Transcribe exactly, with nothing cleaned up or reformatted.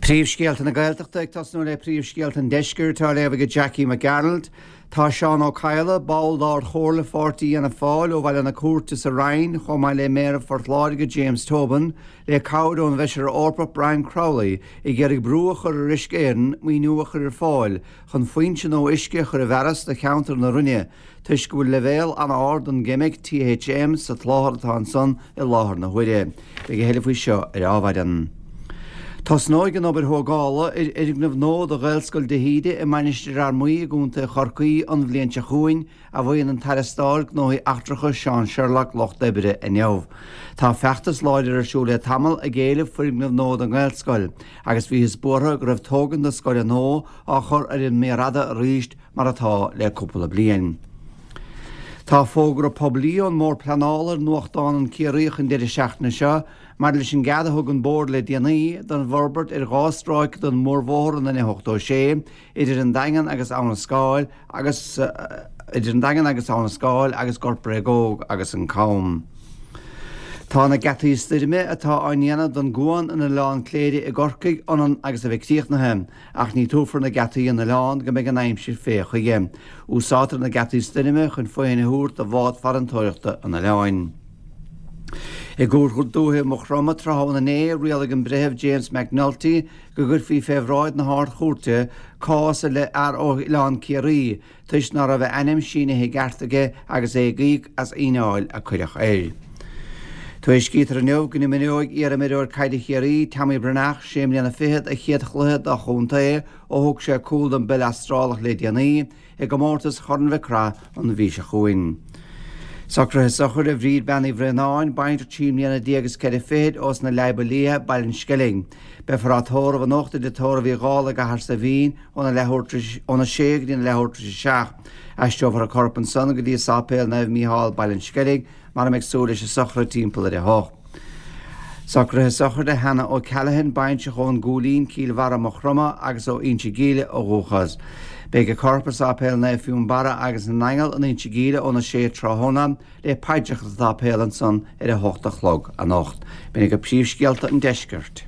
Príomhscéalta na Gaeltachta ag tosnú le príomhscéalta an Deiscirt á léamh ag Jackie Mac Gearailt. Tá Seán Ó Cadhla, ball d'Ardchomhairle Pháirtí Fhianna Fáil ó Bhaile na Cúirte sa Rinn, chomh maith le Méara Phort Láirge James Tobin, le cabhair ón bhFeisire Eorpach Brian Crowley ag iarraidh brú a chur ar Uisce Éireann maoiniú a chur ar fáil chun foinse nua uisce a chur i bhfearas do cheantar na Rinne toisc go bhfuil leibhéal an-ard den gceimic T H M sa tsláthar atá ansan i láthair na huaire. Beidh a thuilleadh faoi seo ar Adhmhaidin. Tosnóidh an obair thógála ar fhoirgneamh nua do Ghaelscoil de hÍde i Mainistir Fhear Maí i gContae Chorcaí an bhliain seo chugainn, a mhaíonn an tAire Stáit Gnóthaí Eachtracha Seán Sherlock lucht oibre inniu. Tá feachtas láidir ar siúl le tamall ag éileamh foirgneamh nua don Ghaelscoil, agus bhíothas buartha go raibh tógaint na scoile nua á chur ar an méar fhada arís mar atá le cúpla bliain. Tá fógra poiblí ón mBord Pleanála ar nuachtán An Ciarraíoch an deireadh seachtaine seo maidir leis an gcead a thug an Bord le déanaí don bhforbairt ar dhá stráice den mhórbhóthar an N ochtó sé idir an Daingean agus Abha na Scáil agus idir an Daingean agus Abha na Scáil agus Gort Bréagóg agus an Cam. Tá na geataí stoirme atá á ndéanamh don gcuan in Oileán Cléire i gCorcaigh ionann agus a bheith críochnaithe, ach ní tabharfar na geataí in oileán go mbeidh an aimsir fé chuige. Úsáidtear na geataí stoirme chun fothain a thabhairt do bhád farantóireachta an oileáin. I gCúirt Dúiche Mhaigh Chromtha tráthnóna inné rialaigh an breitheamh James McNulty go gcuirfí fé bhráid na hArd-Chúirte cás i leith fhear ó Oileán Ciarraí toisc ná raibh a ainm sínithe i gceart aige agus é ag íoc as fhíneáil a cuireadh air. Tuairiscítear inniu go n-imreoidh iar-imreoir caide Chiarraí Tommy Breathnach sé mbliana fichead a chéad chluiche dá chontae ó thug sé cúl don bpeil Astrálach le déanaí i gcomórtas Chorn Mhic Craith an mhí seo chugainn. Socruithe sochraide Bhríd Bean Uí Bhraonáin, baintreach trí mbliana déag is ceithre fichid ós na Leaba Liath, Baile an Sceilg. Beifear á tórramh anocht i dTigh Tórraimh Uí Dhálaigh i gCathair Saidhbhín óna leathuair óna sé go dtí na leathuair tar éis a seacht. Aistreofar a corp ansan go dtí Sáipéal Naomh Mícheál Baile an Sceilg mar a mbeidh súil leis an sochraid timpeall ar a hocht. Socruithe sochraide Hannah O'Callaghan, baintreach ón gCúilín Cill Bharra Maigh Chromtha agus ó Inse Gíle ó dhúchas. Beidh a corp i Sáipéal Naomh Fionnbarra agus na nAingeal in Inse Gíle óna sé tráthnóna le paidreacha sa tsáipéal ansan ar a hocht a chlog anocht. B'in go príomhscéalta an deiscirt.